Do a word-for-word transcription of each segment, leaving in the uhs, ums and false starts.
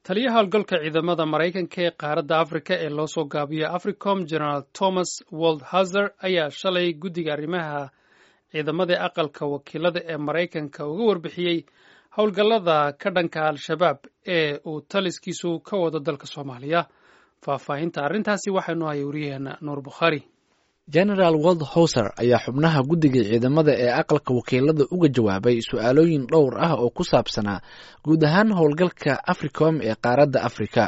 Taliyaha howlgalka ciidamada Maraykanka ee qaaradda Afrika ee loo soo gaabiyo Africom, General Thomas Waldhauser, ayaa shalay guddiga arrimaha ciidamada ee aqalka wakiilada ee Maraykanka uga warbixiyey howlgallada ka dhanka Al-Shabaab ee uu taliskiisu ka wado dalka Soomaaliya. Faahfaahinta arrintaasi waxaynu hayay wariyaheena Nuur Bukhaari. Genaraal Waldhauser ayaa xubnaha guddiga ciidamada ee aqalka wakiilada uga jawaabay su-aalooyin dhowr ah oo ku saabsanaa guud ahaan howlgalka Africom ee qaaradda Afrika.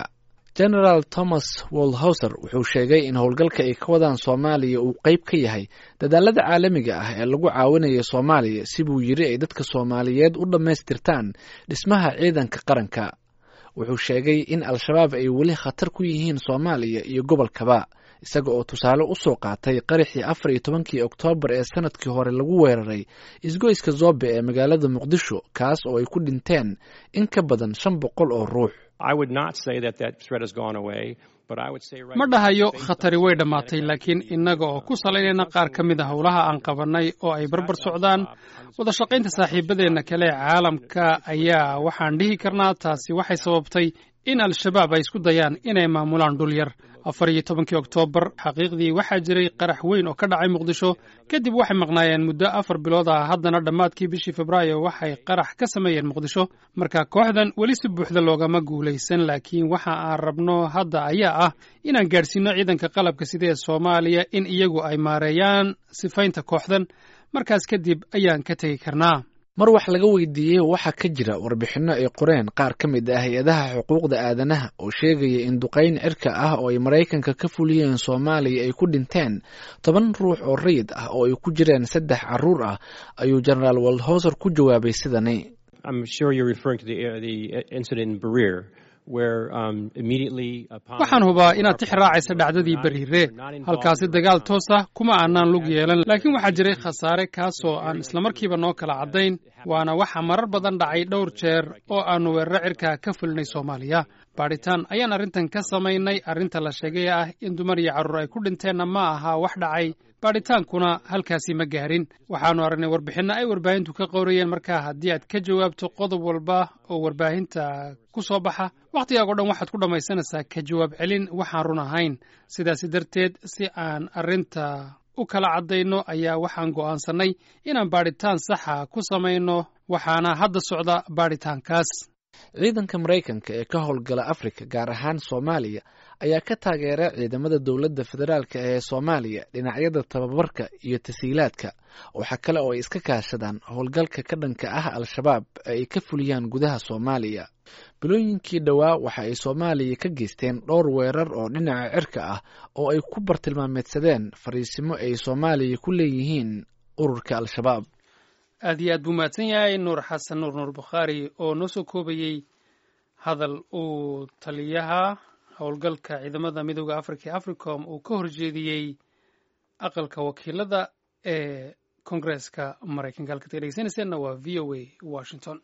Genaraal Thomas Waldhauser wuxuu sheegay in howlgalka ay ka wadaan Soomaaliya uu qeyb ka yahay dadaalada caalamiga ah ee lagu caawinayo Soomaaliya, si buu yiri ay dadka Soomaaliyeed u dhammaystirtaan dhismaha ciidanka qaranka. Wuxuu sheegay in Al-Shabaab ay weli khatar ku yihiin Soomaaliya iyo gobolkaba, isaga oo tusaale u soo qaatay qaraxii afar iyo tobankii Oktoobar ee sanadkii hore lagu weeraray isgoyska Zobe ee magaalada Muqdisho, kaas oo ay ku dhinteen in ka badan shan boqol oo ruux. Ma dhahayo khatari way dhammaatay, laakiin innaga oo ku salaynayna qaar ka mid a howlaha aan qabannay oo ay barbar socdaan wada shaqaynta saaxiibadeenna kale ee caalamka, ayaa waxaan dhihi karnaa taasi waxay sababtay in Al-Shabaab ay isku dayaan inay maamulaan dhul yar. Afar iyo tobankii Oktoobar xaqiiqdii waxaa jiray qarax weyn oo ka dhacay Muqdisho. Kadib waxay maqnaayeen muddo afar bilood ah. Haddana dhammaadkii bishii Febraayo waxay qarax ka sameeyeen Muqdisho. Marka kooxdan weli si buuxda loogama guulaysan, laakiin waxa aan rabno hadda ayaa ah inaan gaadhsiino ciidanka qalabka sida ee Soomaaliya in iyagu ay maareeyaan sifaynta kooxdan. Markaas kadib ayaan ka tegi karnaa. Mar wax laga weydiiyey waxaa ka jira warbixinno ay qoreen qaar ka mid ah hay-adaha xuquuqda aadanaha oo sheegaya in duqeyn cirka ah oo ay Maraykanka ka fuliyeen Soomaaliya ay ku dhinteen toban ruux oo rayid ah oo ay ku jireen saddex carruur ah, ayuu Genaraal Waldhauser ku jawaabay sidani: Waxaan hubaa inaad tix raacaysa dhacdadii Bariire. Halkaasi dagaal toos ah kuma aanaan lug yeelan, laakiin waxaa jiray khasaare kaasoo aan islamarkiiba noo kala caddayn, waana waxa marar badan dhacay dhowr jeer oo aannu weeraro cirka ka fulinay Soomaaliya. Baadhitaan ayaan arrintan ka samaynay. Arrinta la sheegay ah in dumar iyo carruur ay ku dhinteenna ma aha wax dhacay, baadhitaankuna halkaasi ma gaarin. Waxaannu aragnay warbixinno ay warbaahintu ka qowrayeen. Markaa haddii aad ka jawaabto qodob walba oo warbaahinta ku soo baxa, wakhtigaago dhan waxaad ku dhammaysanaysaa ka jawaab celin waxaan run ahayn. Sidaasi darteed, si aan arrinta u kala caddayno ayaa waxaan go'aansannay inaan baadhitaan saxa ku samayno, waxaana hadda socda baadhitaankaas. Ciidanka Maraykanka ee ka howlgala Afrika, gaar ahaan Soomaaliya, ayaa ka taageera ciidamada dowladda federaalka ee Soomaaliya dhinacyada tababarka iyo tasiilaadka. Waxaa kale oo ay iska kaashadaan howlgalka ka dhanka ah Al-Shabaab ee ay ka fuliyaan gudaha Soomaaliya. Bilooyinkii dhowaa waxa ay Soomaaliya ka geysteen dhowr weerar oo dhinaca cirka ah oo ay ku bartilmaameedsadeen fariisimo ay Soomaaliya ku leeyihiin ururka Al-Shabaab. Aad iyo aad buu mahadsan yahay Nuur Xasan Nuur, Nuur Bukhaari, oo noo soo koobayey hadal uu taliyaha howlgalka ciidamada Midooda Africa ee Africom uu ka horjeediyey aqalka wakiilada ee Koongareeska Maraykanka. Halkaad ka dhegeysaneyseenna waa V O A Washington.